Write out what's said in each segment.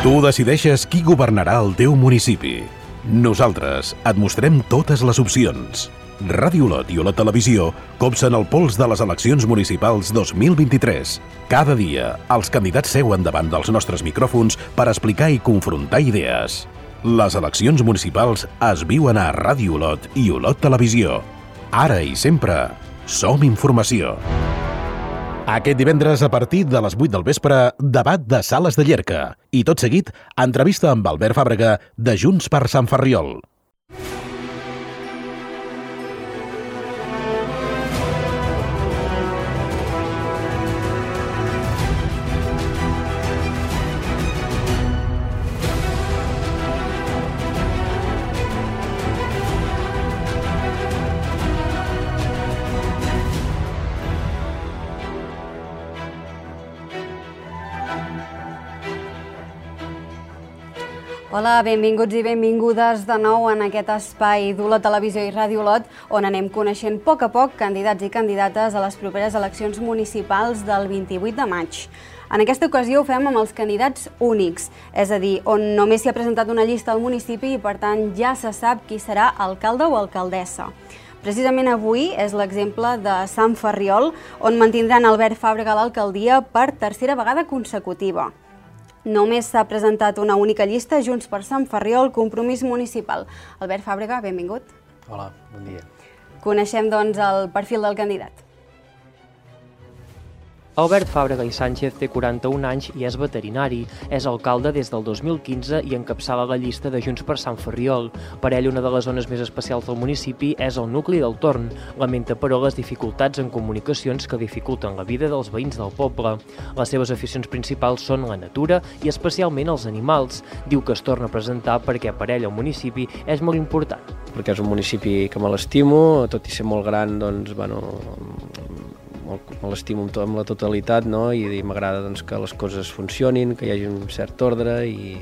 Tu decideixes qui governarà el teu municipi. Nosaltres et mostrem totes les opcions. Ràdio Olot i Olot Televisió copsen el pols de les eleccions municipals 2023. Cada dia, els candidats seuen davant dels nostres micròfons per explicar i confrontar idees. Les eleccions municipals es viuen a Ràdio Olot i Olot Televisió. Ara i sempre, som informació. Aquest divendres, a partir de les 8 del vespre, debat de Sales de Llierca. I tot seguit, entrevista amb Albert Fàbrega, de Junts per Sant Ferriol. Hola, benvinguts i benvingudes de nou en aquest espai d'Olot Televisió i Ràdio Olot, on anem coneixent a poc candidats i candidates a les properes eleccions municipals del 28 de maig. En aquesta ocasió ho fem amb els candidats únics, és a dir, on només s'hi ha presentat una llista al municipi i per tant ja se sap qui serà alcalde o alcaldessa. Precisament avui és l'exemple de Sant Ferriol, on mantindran Albert Fàbrega a l'alcaldia per tercera vegada consecutiva. Només s'ha presentat una única llista, Junts per Sant Ferriol, Compromís Municipal. Albert Fàbrega, benvingut. Hola, bon dia. Coneixem, doncs, el perfil del candidat. Albert Fàbrega i Sánchez té 41 anys i és veterinari. És alcalde des del 2015 i encapçala la llista de Junts per Sant Ferriol. Per ell, una de les zones més especials del municipi és el nucli del Torn. Lamenta, però, les dificultats en comunicacions que dificulten la vida dels veïns del poble. Les seves aficions principals són la natura i especialment els animals. Diu que es torna a presentar perquè per ell el municipi és molt important. Perquè és un municipi que me l'estimo, tot i ser molt gran, doncs, me l'estimo amb la totalitat, no? I m'agrada que les coses funcionin, que hi hagi un cert ordre i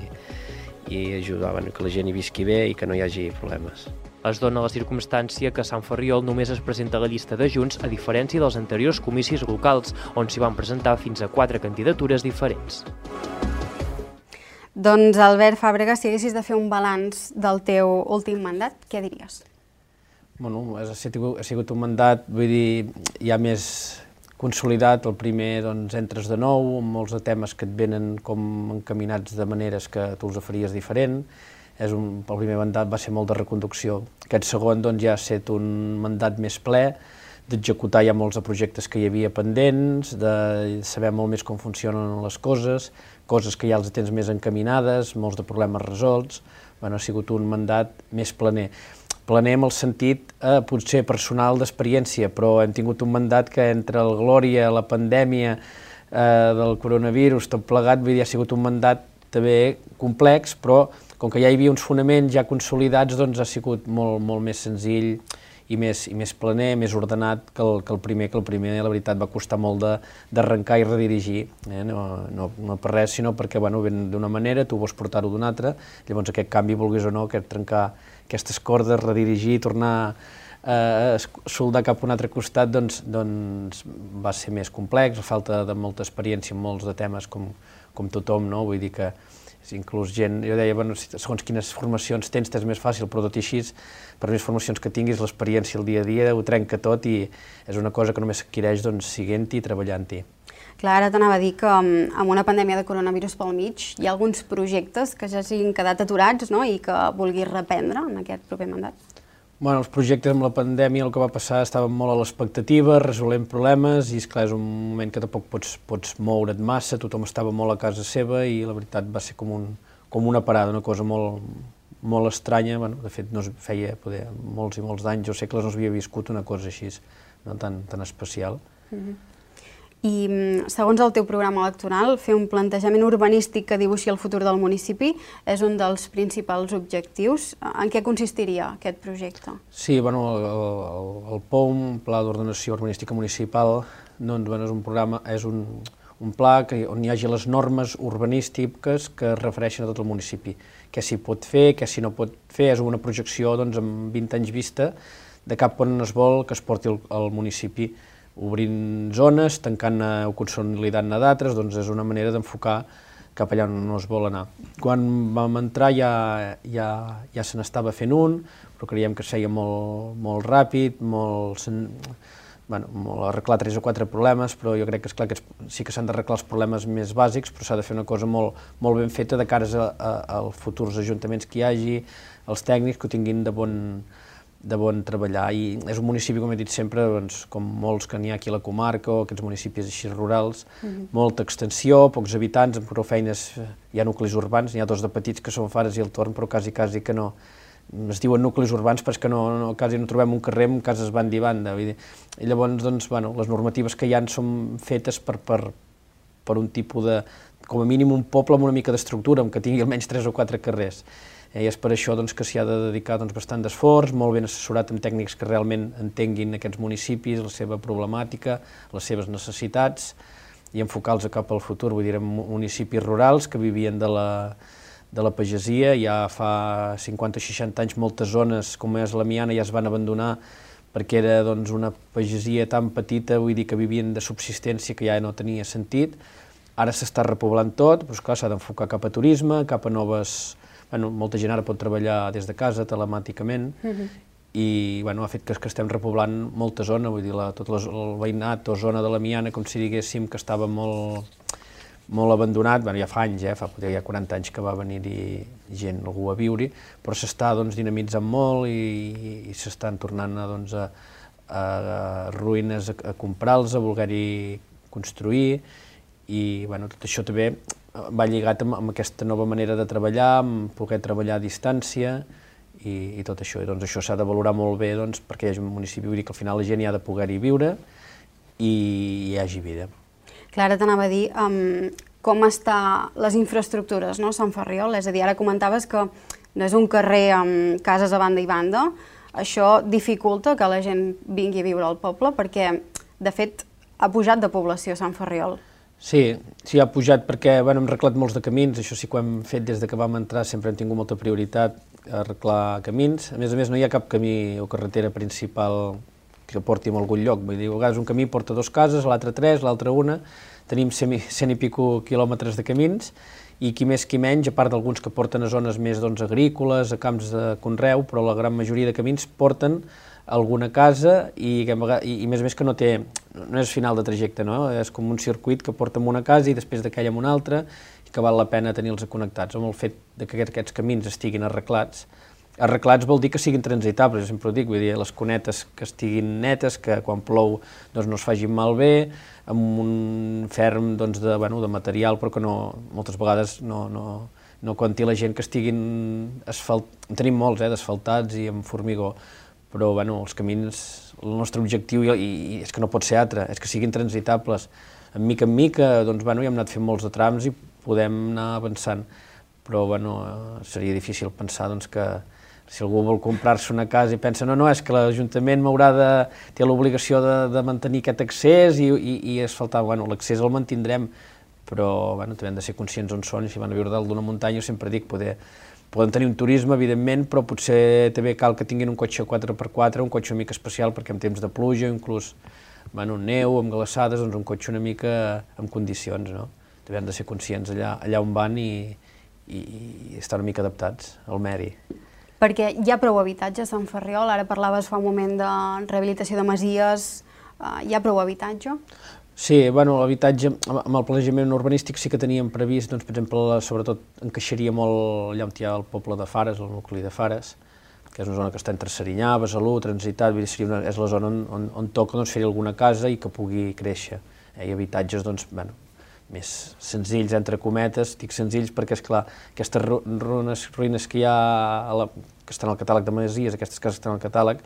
ajudar que la gent hi visqui bé i que no hi hagi problemes. Es dona la circumstància que a Sant Ferriol només es presenta la llista de Junts, a diferència dels anteriors comicis locals, on s'hi van presentar fins a 4 candidatures diferents. Doncs, Albert Fàbrega, si haguessis de fer un balanç del teu últim mandat, què diries? Ha sigut un mandat, vull dir, ja més consolidat. El primer, entres de nou, amb molts de temes que et venen com encaminats de maneres que tu els faries diferent. El primer mandat va ser molt de reconducció. Aquest segon ja ha estat un mandat més ple, d'executar ja molts de projectes que hi havia pendents, de saber molt més com funcionen les coses que ja els tens més encaminades, molts de problemes resolts. Ha sigut un mandat més planer. Planer en el sentit potser personal d'experiència, però hem tingut un mandat que entre el Glòria, la pandèmia del coronavirus, tot plegat, ha sigut un mandat també complex, però com que ja hi havia uns fonaments ja consolidats, ha sigut molt més senzill i més planer, més ordenat que el primer. Que el primer, la veritat, va costar molt d'arrencar i redirigir, no per res, sinó perquè ven d'una manera, tu vols portar-ho d'una altra, llavors aquest canvi, vulguis o no, trencar aquestes cordes, redirigir, tornar a soldar cap a un altre costat, doncs va ser més complex, a falta de molta experiència en molts de temes com tothom, no? Vull dir que inclús gent, jo deia, segons quines formacions tens més fàcil, però tot i així, per més formacions que tinguis, l'experiència el dia a dia ho trenca tot i és una cosa que només s'adquireix siguent-hi i treballant-hi. Clar, ara t'anava a dir que amb una pandèmia de coronavirus pel mig hi ha alguns projectes que ja s'hagin quedat aturats, no?, i que vulguis reprendre en aquest proper mandat. Els projectes amb la pandèmia, el que va passar, estaven molt a l'expectativa, resolent problemes, i esclar, és un moment que tampoc pots moure't massa, tothom estava molt a casa seva i la veritat va ser com una parada, una cosa molt estranya. De fet, no es feia molts i molts d'anys o segles no s'havia viscut una cosa així, tan especial. I, segons el teu programa electoral, fer un plantejament urbanístic que dibuixi el futur del municipi és un dels principals objectius. En què consistiria aquest projecte? Sí, el POUM, Pla d'Ordenació Urbanística Municipal, és un programa, és un pla on hi hagi les normes urbanístiques que es refereixen a tot el municipi. Què s'hi pot fer, què s'hi no pot fer, és una projecció amb 20 anys vista de cap on es vol que es porti el municipi, obrint zones, tancant o consolidant-ne d'altres, és una manera d'enfocar cap allà on no es vol anar. Quan vam entrar ja se n'estava fent un, però creiem que es feia molt ràpid, molt arreglar 3 o 4 problemes, però jo crec que, esclar, que sí que s'han d'arreglar els problemes més bàsics, però s'ha de fer una cosa molt ben feta de cares als futurs ajuntaments que hi hagi, els tècnics que ho tinguin de bon treballar. I és un municipi, com he dit sempre, doncs, com molts que n'hi ha aquí a la comarca, o aquests municipis així rurals, molta extensió, pocs habitants, amb prou feines, hi ha nuclis urbans, n'hi ha 2 de petits que són Fares i el Torn, però quasi que no. Es diuen nuclis urbans perquè quasi no trobem un carrer amb cases banda i banda. I llavors, doncs, les normatives que hi ha són fetes per un tipus de, com a mínim, un poble amb una mica d'estructura, que tingui almenys 3 o 4 carrers. I és per això que s'hi ha de dedicar bastant d'esforç, molt ben assessorat amb tècnics que realment entenguin aquests municipis, la seva problemàtica, les seves necessitats, i enfocar-los cap al futur. Vull dir, municipis rurals que vivien de la pagesia, ja fa 50 o 60 anys moltes zones, com és la Miana, ja es van abandonar perquè era una pagesia tan petita, vull dir que vivien de subsistència que ja no tenia sentit. Ara s'està repoblant tot, però clar, s'ha d'enfocar cap a turisme, cap a noves... molta gent ara pot treballar des de casa, telemàticament, i ha fet que estem repoblant molta zona, vull dir, tot el veïnat o zona de la Miana, com si diguéssim, que estava molt abandonat, ja fa anys, fa 40 anys que va venir-hi gent, algú a viure-hi, però s'està dinamitzant molt i s'estan tornant a ruïnes a comprar-los, a voler-hi construir, i tot això també va lligat amb aquesta nova manera de treballar, amb poder treballar a distància i tot això. I això s'ha de valorar molt bé perquè hi hagi un municipi, vull dir que al final la gent hi ha de poder-hi viure i hi hagi vida. Clara, t'anava a dir com estan les infraestructures, no, a Sant Ferriol? És a dir, ara comentaves que no és un carrer amb cases a banda i banda. Això dificulta que la gent vingui a viure al poble perquè, de fet, ha pujat de població Sant Ferriol. Sí, ha pujat perquè hem arreglat molts de camins, això sí que ho hem fet des que vam entrar, sempre hem tingut molta prioritat a arreglar camins. A més, no hi ha cap camí o carretera principal que porti a algun lloc, vull dir, a vegades un camí porta 2 cases, l'altre 3, l'altre 1, tenim 100 i pico quilòmetres de camins, i qui més qui menys, a part d'alguns que porten a zones més agrícoles, a camps de conreu, però la gran majoria de camins porten alguna casa i a més que no és final de trajecte, no? És com un circuit que porta a una casa i després d'aquella a una altra i que val la pena tenir-los connectats. Amb el fet que aquests camins estiguin arreglats vol dir que siguin transitables, sempre ho dic, vull dir, les cunetes que estiguin netes, que quan plou no es facin malbé, amb un ferm de material, però que moltes vegades no compti la gent que estiguin asfaltats, tenim molts d'asfaltats i amb formigó, però els camins, el nostre objectiu i és que no pot ser altre, és que siguin transitables. En mica ja hem anat fent molts de trams i podem anar avançant, però seria difícil pensar que si algú vol comprar-se una casa i pensa no, és que l'Ajuntament té l'obligació de mantenir aquest accés i asfaltar, l'accés el mantindrem, però també hem de ser conscients on són, i si van a viure dalt d'una muntanya, sempre dic, poden tenir un turisme, evidentment, però potser també cal que tinguin un cotxe 4x4, un cotxe una mica especial, perquè en temps de pluja, inclús neu, amb glaçades, un cotxe una mica en condicions, no? També han de ser conscients allà on van i estar una mica adaptats al medi. Perquè hi ha prou habitatge a Sant Ferriol, ara parlaves fa un moment de rehabilitació de masies, hi ha prou habitatge? Sí, l'habitatge, amb el planejament urbanístic sí que teníem previst, per exemple, sobretot encaixaria molt allà on hi ha el poble de Fares, el nucli de Fares, que és una zona que està entre Serinyà, Besalú, Transitat, és la zona on toca fer alguna casa i que pugui créixer. I habitatges més senzills, entre cometes, dic senzills perquè, esclar, aquestes ruïnes que hi ha, que estan al catàleg de masies, aquestes cases que estan al catàleg,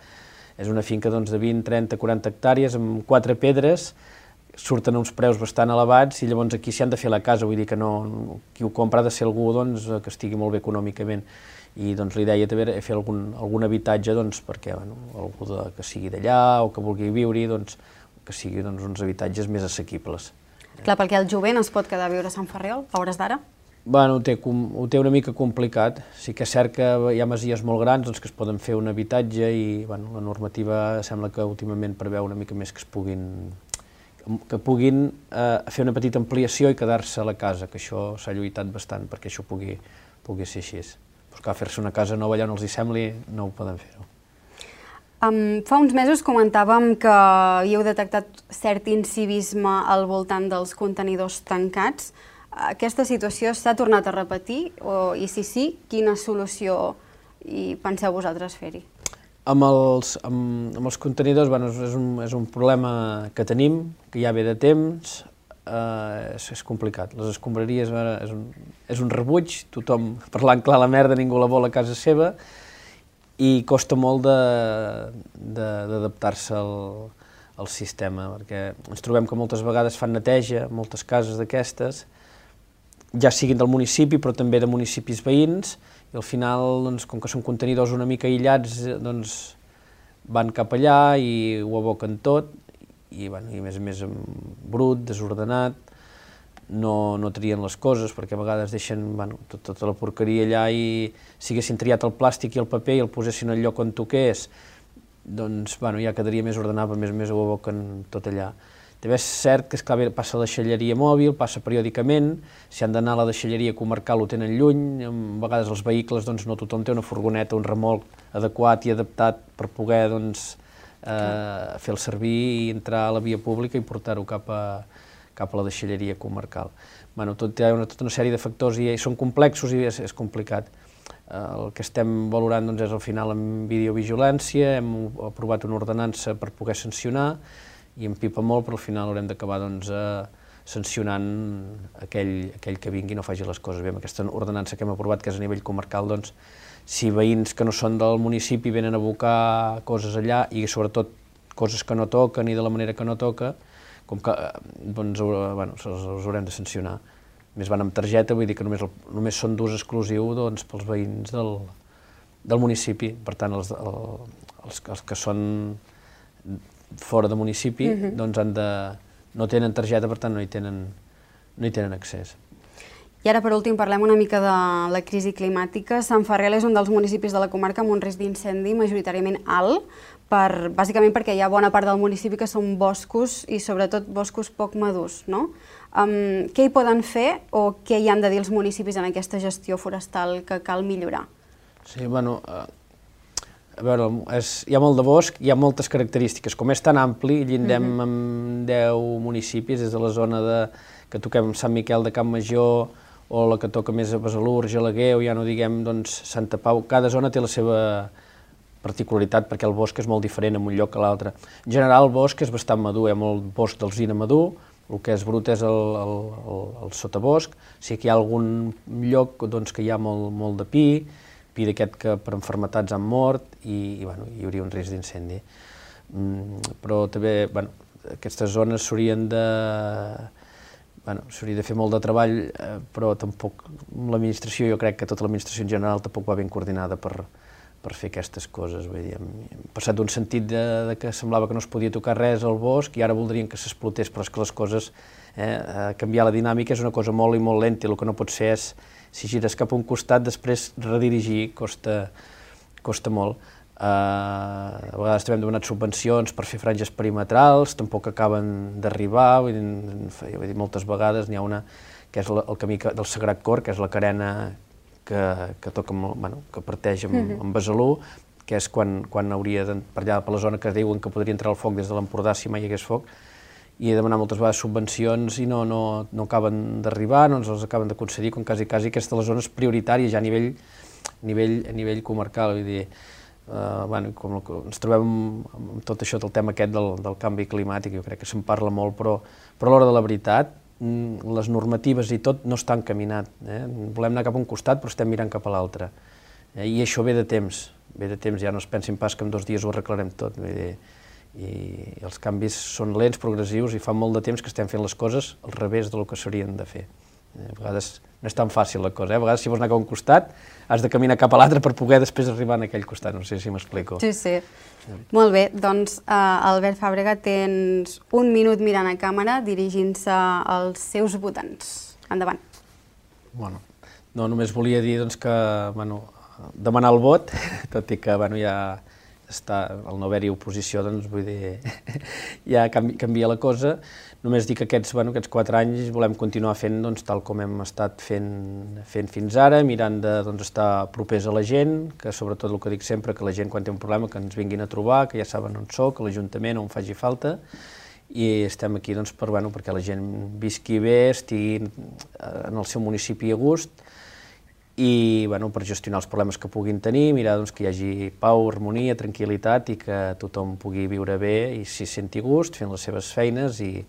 és una finca de 20, 30, 40 hectàrees amb 4 pedres, surten uns preus bastant elevats i llavors aquí s'hi han de fer la casa, vull dir que qui ho compra ha de ser algú que estigui molt bé econòmicament, i la idea també era fer algun habitatge perquè algú que sigui d'allà o que vulgui viure-hi, que sigui uns habitatges més assequibles. Clar, perquè el jovent es pot quedar a viure a Sant Ferriol, a hores d'ara? Ho té una mica complicat. Sí que és cert que hi ha masies molt grans que es poden fer un habitatge i la normativa sembla que últimament preveu una mica més que es puguin que puguin fer una petita ampliació i quedar-se a la casa, que això s'ha lluitat bastant perquè això pugui ser així. Però clar, fer-se una casa nova allà on els hi sembli, no ho poden fer-ho. Fa uns mesos comentàvem que havíeu detectat cert incivisme al voltant dels contenidors tancats. Aquesta situació s'ha tornat a repetir? I si sí, quina solució hi penseu vosaltres fer-hi? Amb els contenidors, és un problema que tenim, que ja ve de temps, és complicat. Les escombraries és un rebuig, tothom parlant clar la merda, ningú la vol a casa seva, i costa molt d'adaptar-se al sistema, perquè ens trobem que moltes vegades fan neteja, moltes cases d'aquestes, ja siguin del municipi, però també de municipis veïns, i al final, com que són contenidors una mica aïllats, van cap allà i ho aboquen tot, i a més brut, desordenat, no trien les coses, perquè a vegades deixen tota la porqueria allà i si haguessin triat el plàstic i el paper i el posessin al lloc on toqués, doncs ja quedaria més ordenat, però a més ho aboquen tot allà. També és cert que passa la deixalleria mòbil, passa periòdicament, si han d'anar a la deixalleria comarcal ho tenen lluny, a vegades els vehicles no tothom té una furgoneta, un remolc adequat i adaptat per poder fer-lo servir i entrar a la via pública i portar-ho cap a la deixalleria comarcal. Tot hi ha tota una sèrie de factors i són complexos i és complicat. El que estem valorant és al final amb videovigilància, hem aprovat una ordenança per poder sancionar, i em pipa molt, però al final haurem d'acabar sancionant aquell que vingui i no faci les coses bé. Amb aquesta ordenança que hem aprovat, que és a nivell comarcal, si veïns que no són del municipi venen a abocar coses allà i sobretot coses que no toquen i de la manera que no toca, com que els haurem de sancionar. Més van amb targeta, vull dir que només són d'ús exclusiu pels veïns del municipi. Per tant, els que són fora de municipi no tenen targeta, per tant no hi tenen accés. I ara, per últim, parlem una mica de la crisi climàtica. Sant Ferriol és un dels municipis de la comarca amb un risc d'incendi majoritàriament alt, bàsicament perquè hi ha bona part del municipi que són boscos i sobretot boscos poc madurs, no? Què hi poden fer o què hi han de dir els municipis en aquesta gestió forestal que cal millorar? Sí, a veure, hi ha molt de bosc, hi ha moltes característiques. Com és tan ampli, llindem amb 10 municipis, des de la zona que toquem Sant Miquel de Campmajor o la que toca més a Besalú, Argelaguer, o ja no diguem Santa Pau. Cada zona té la seva particularitat perquè el bosc és molt diferent en un lloc que l'altre. En general, el bosc és bastant madur, hi ha molt bosc d'alzina madur, el que és brut és el sotabosc, sí que hi ha algun lloc que hi ha molt de pi d'aquest que per malalties han mort i hi hauria un risc d'incendi. Però també aquestes zones s'haurien de fer molt de treball, però tampoc l'administració, jo crec que tota l'administració en general tampoc va ben coordinada per fer aquestes coses. Hem passat d'un sentit que semblava que no es podia tocar res al bosc i ara voldrien que s'explotés, però és que les coses, canviar la dinàmica és una cosa molt i molt lenta i el que no pot ser és, si gires cap a un costat, després redirigir costa molt. A vegades també hem demanat subvencions per fer franges perimetrals, tampoc acaben d'arribar, moltes vegades n'hi ha una que és el camí del Sagrat Cor, que és la carena que parteix amb Besalú, que és quan hauria per allà per la zona que diuen que podria entrar el foc des de l'Empordà si mai hi hagués foc, i he demanat moltes vegades subvencions i no acaben d'arribar, no ens les acaben de concedir, com quasi aquesta de les zones prioritàries ja a nivell comarcal. Vull dir, com ens trobem amb tot això del tema aquest del canvi climàtic, jo crec que se'n parla molt, però a l'hora de la veritat, les normatives i tot no estan caminant. Volem anar cap a un costat, però estem mirant cap a l'altre. I això ve de temps, ja no es pensin pas que en 2 dies ho arreglarem tot. I els canvis són lents, progressius, i fa molt de temps que estem fent les coses al revés del que s'haurien de fer. A vegades no és tan fàcil la cosa, a vegades si vols anar cap a un costat has de caminar cap a l'altre per poder després arribar a aquell costat, no sé si m'explico. Sí. Molt bé, doncs Albert Fàbrega, tens 1 minut mirant a càmera dirigint-se als seus votants. Endavant. No, només volia dir que demanar el vot, tot i que ja al no haver-hi oposició, doncs vull dir, ja canvia la cosa. Només dic que aquests 4 anys volem continuar fent tal com hem estat fent fins ara, mirant d'estar propers a la gent, que sobretot el que dic sempre, que la gent quan té un problema que ens vinguin a trobar, que ja saben on soc, que l'Ajuntament on faci falta, i estem aquí perquè la gent visqui bé, estigui en el seu municipi a gust, i per gestionar els problemes que puguin tenir, mirar que hi hagi pau, harmonia, tranquil·litat i que tothom pugui viure bé i s'hi senti gust, fent les seves feines, i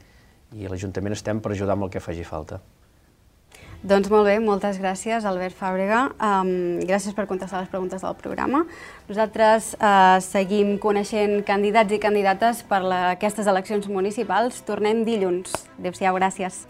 a l'Ajuntament estem per ajudar amb el que faci falta. Doncs molt bé, moltes gràcies, Albert Fàbrega. Gràcies per contestar les preguntes del programa. Nosaltres seguim coneixent candidats i candidates per aquestes eleccions municipals. Tornem dilluns. Adéu-siau, gràcies.